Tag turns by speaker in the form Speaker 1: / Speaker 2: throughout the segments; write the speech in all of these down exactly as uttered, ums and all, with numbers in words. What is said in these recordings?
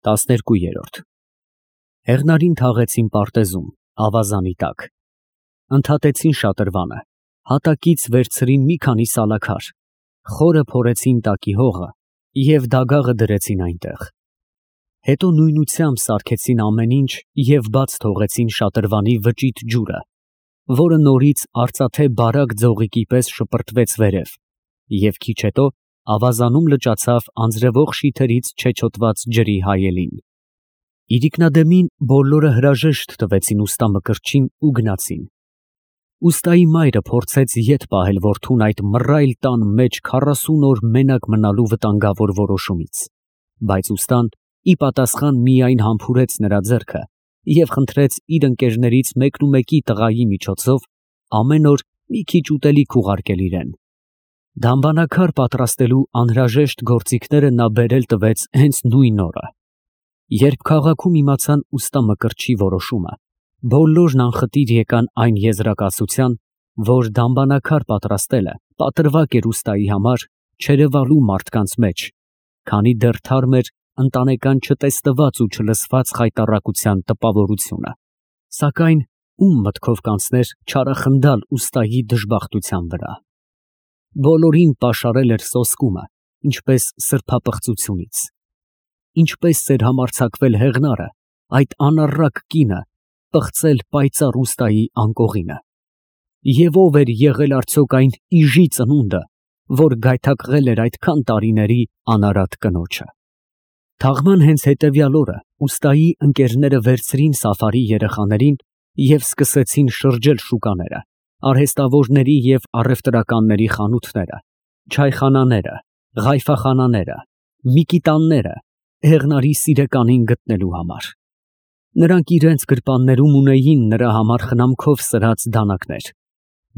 Speaker 1: տասներկուերորդ Հեղնարին թաղեցին պարտեզում, ավազանի տակ, ընդհատեցին շատրվանը, հատակից վերցրին մի քանի սալաքար, խորը փորեցին տակի հողը և դագաղը դրեցին այնտեղ. հետո նույնությամբ սարքեցին ամեն ինչ և բաց թողեցին շատրվանի վճիտ ջուրը, որը նորից արծաթե բարակ ձողիկի պես շպրտվեց վերև, և քիչ հետո ավազանում լճացավ անձրևող շիթերից չեչոտված ջրի հայելին. իրիկնադեմին բոլորը հրաժեշտ տվեցին ուստա Մկրտչին ու գնացին. ուստայի մայրը փորձեց ետ պահել որդուն այդ մռայլ տան մեջ քառասուն օր մենակ մնալու վտանգավոր որոշումից, բայց ուստան ի պատասխան միայն համբուրեց նրա ձեռքը և խնդրեց իր ընկերներից մեկնումեկի տղայի միջոցով ամեն օր մի քիչ ուտելիք ուղարկել իրան. դամբանակար պատրաստելու անհրաժեշտ գործիքները նա բերել տվեց հենց նույն օրը. երբ քաղաքում իմացան ուստա Մկրտչի որոշումը, բոլորն անխտիր եկան այն եզրակացության, որ դամբանակար պատրաստելը պատրվակ էր ուստայի համար չերևալու մարդկանց մեջ, քանի դեռ թարմ էր ընտանեկան չտեսնված ու չլսված խայտառակության տպավորությունը, սակայն ում մտքով կանցներ չարախնդալ ուստայի դժբախտության վրա. բոլորին պաշարել էր սոսկումը, ինչպես սրբապղծությունից. ինչպես էր համարձակվել Հեղնարը, այդ անառակ կինը, պղծել պայծառ ուստայի անկողինը, և ով էր եղել արդյոք այն իժի ծնունդը, որ գայթակղել էր այդքան տարիների անարատ կնոջը. Թաղման հենց հետևյալ օրը ուստայի ընկերները վերցրին Սաֆարի երեխաներին և սկսեցին շրջել շուկաները, արհեստավորների և առևտրականների խանութները, չայխանաները, ղայֆախանաները, միկիտանները Հեղնարի սիրեկանին գտնելու համար. նրանք իրենց գրպաններում ունեին նրա համար խնամքով սրած դանակներ,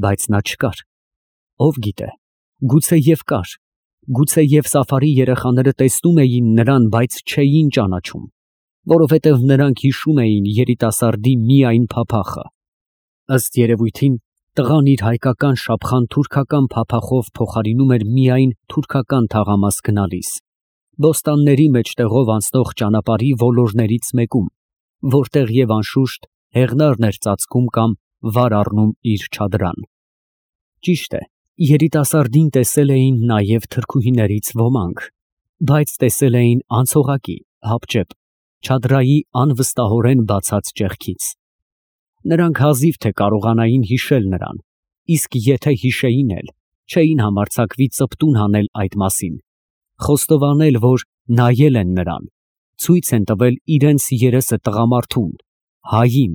Speaker 1: բայց նա չկար, ով գիտե, գուցեև կար, գուցեև Սաֆարի երեխաները տեսնում էին նրան, բայց չէին ճանաչում, որովհետև նրանք հիշում էին երիտասարդի միայն փափախը. ըստ երևույթին տղան իր հայկական շապխան թուրքական փափախով փոխարինում էր միայն թուրքական թաղամաս գնալիս, բոստանների մեջտեղով անցնող ճանապարհի ոլորներից մեկում, որտեղ և անշուշտ Հեղնարն էր ծածկում կամ վար առնում իր չադրան. ճիշտ է, երիտասարդին տեսել էին նաև թրքուհիներից ոմանք, բայց տեսել էին անցողակի, հապճեպ, չադրայի անվստահորեն բացած ճեղքից. նրանք հազիվ թե կարողանային հիշել նրան, իսկ եթե հիշեին էլ, չէին համարձակվի ծպտուն հանել այդ մասին, խոստովանել, որ նայել են նրան, ցույց են տվել իրենց երեսը տղամարդուն, հային,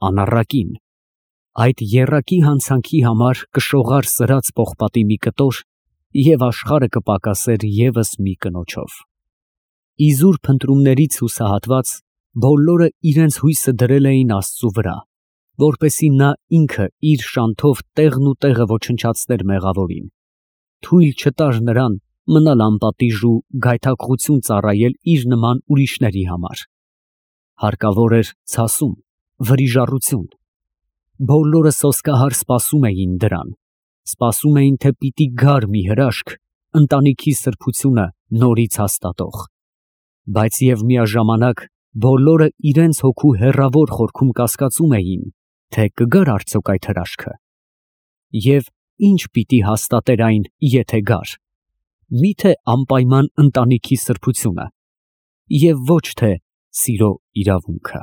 Speaker 1: անառակին, այդ եռակի հանցանքի համար կշողար սրած պողպատի մի կտոր և աշխարհը կպակասեր ևս մի կնոջով. իզուր փնտրումներից հուսահատված, բոլորը իրենց հույսը դրել էին Աստծու վրա, որպեսզի նա ինքը իր շանթով տեղն ու տեղը ոչնչացներ մեղավորին, թույլ չտար նրան մնալ անպատիժ ու գայթակղություն ծառայել իր նման ուրիշների համար. հարկավոր էր ցասում, վրիժառություն. բոլորը սոսկահար սպասում էին դրան, սպասում էին, թե պիտի գար մի հրաշք, ընտանիքի սրբությունը նորից հաստատող, բայց և միաժամանակ բոլորը իրենց հոգու հեռավոր խորքում կասկածում էին, թե կգար արդյոք այդ հրաշքը, և ինչ պիտի հաստատեր այն, եթե գար, մի՞թե անպայման ընտանիքի սրբությունը և ոչ թե սիրո իրավունքը։